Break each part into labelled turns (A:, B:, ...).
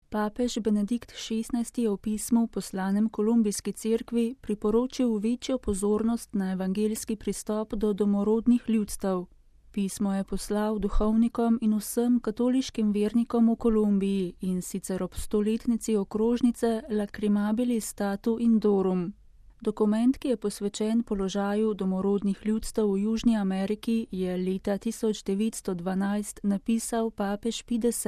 A: Papež Benedikt XVI je v pismu poslanem Kolumbijski cerkvi priporočil večjo pozornost na evangeljski pristop do domorodnih ljudstev. Pismo je poslal duhovnikom in vsem katoliškim vernikom v Kolumbiji, in sicer ob 100-letnici okrožnice Lacrimabili Statu Indorum. Dokument, ki je posvečen položaju domorodnih ljudstev v Južni Ameriki, je leta 1912 napisal papež Pij X.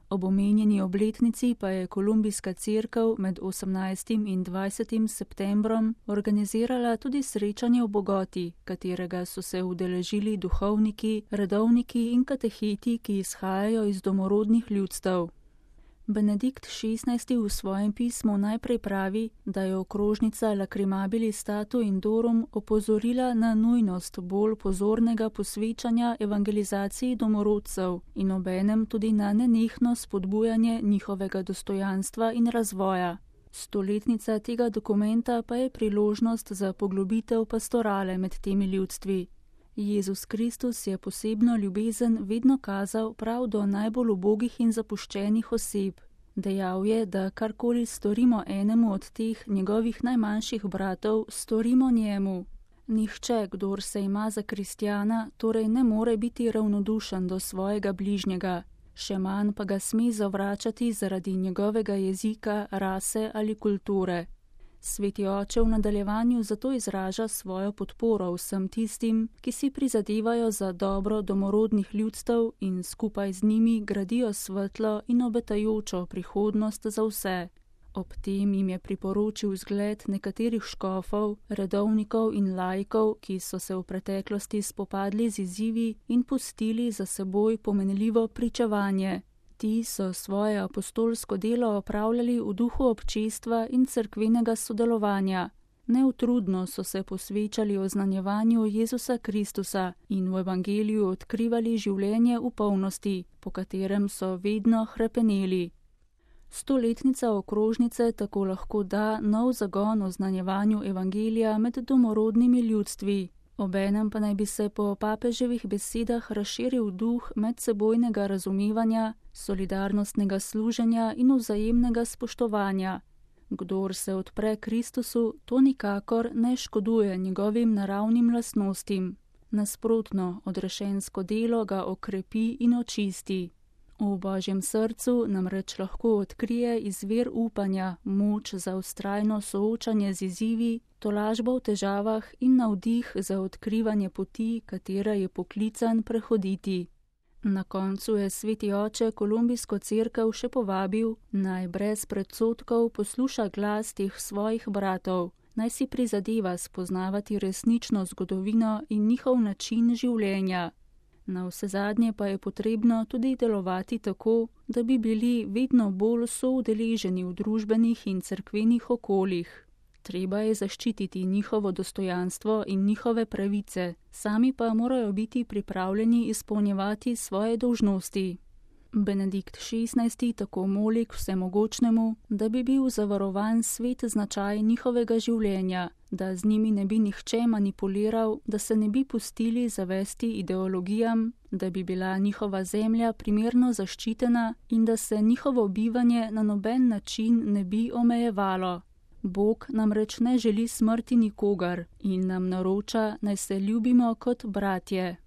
A: Ob omenjeni obletnici pa je Kolumbijska cerkev med 18. in 20. septembrom organizirala tudi srečanje v Bogoti, katerega so se udeležili duhovniki, redovniki in kateheti, ki izhajajo iz domorodnih ljudstev. Benedikt XVI v svojem pismu najprej pravi, da je okrožnica Lacrimabili Statu Indorum opozorila na nujnost bolj pozornega posvečanja evangelizaciji domorodcev in obenem tudi na nenehno spodbujanje njihovega dostojanstva in razvoja. 100-letnica tega dokumenta pa je priložnost za poglobitev pastorale med temi ljudstvi. Jezus Kristus je posebno ljubezen vedno kazal prav do najbolj ubogih in zapuščenih oseb. Dejal je, da karkoli storimo enemu od teh njegovih najmanjših bratov, storimo njemu. Nihče, kdor se ima za kristjana, torej ne more biti ravnodušen do svojega bližnjega, še manj pa ga sme zavračati zaradi njegovega jezika, rase ali kulture. Sveti oče v nadaljevanju zato izraža svojo podporo vsem tistim, ki si prizadevajo za dobro domorodnih ljudstev in skupaj z njimi gradijo svetlo in obetajočo prihodnost za vse. Ob tem jim je priporočil zgled nekaterih škofov, redovnikov in laikov, ki so se v preteklosti spopadli z izzivi in pustili za seboj pomenljivo pričevanje. Ti so svoje apostolsko delo opravljali v duhu občestva in cerkvenega sodelovanja. Neutrudno so se posvečali oznanjevanju Jezusa Kristusa in v evangeliju odkrivali življenje v polnosti, po katerem so vedno hrepeneli. 100-letnica okrožnice tako lahko da nov zagon oznanjevanju evangelija med domorodnimi ljudstvi. Obenem pa naj bi se po papeževih besedah razširil duh medsebojnega razumevanja, solidarnostnega služenja in vzajemnega spoštovanja. Kdor se odpre Kristusu, to nikakor ne škoduje njegovim naravnim lastnostim. Nasprotno, odrešensko delo ga okrepi in očisti. V Božjem srcu namreč lahko odkrije izvir upanja, moč za vztrajno soočanje z izzivi, tolažbo v težavah in navdih za odkrivanje poti, katera je poklican prehoditi. Na koncu je sveti oče Kolumbijsko cerkev še povabil, naj brez predsodkov posluša glas teh svojih bratov, naj si prizadeva spoznavati resnično zgodovino in njihov način življenja. Navsezadnje pa je potrebno tudi delovati tako, da bi bili vedno bolj soudeleženi v družbenih in cerkvenih okoljih. Treba je zaščititi njihovo dostojanstvo in njihove pravice, sami pa morajo biti pripravljeni izpolnjevati svoje dolžnosti. Benedikt XVI tako moli k vsemogočnemu, da bi bil zavarovan svet značaj njihovega življenja, da z njimi ne bi nihče manipuliral, da se ne bi pustili zavesti ideologijam, da bi bila njihova zemlja primerno zaščitena in da se njihovo bivanje na noben način ne bi omejevalo. Bog namreč ne želi smrti nikogar in nam naroča, naj se ljubimo kot bratje.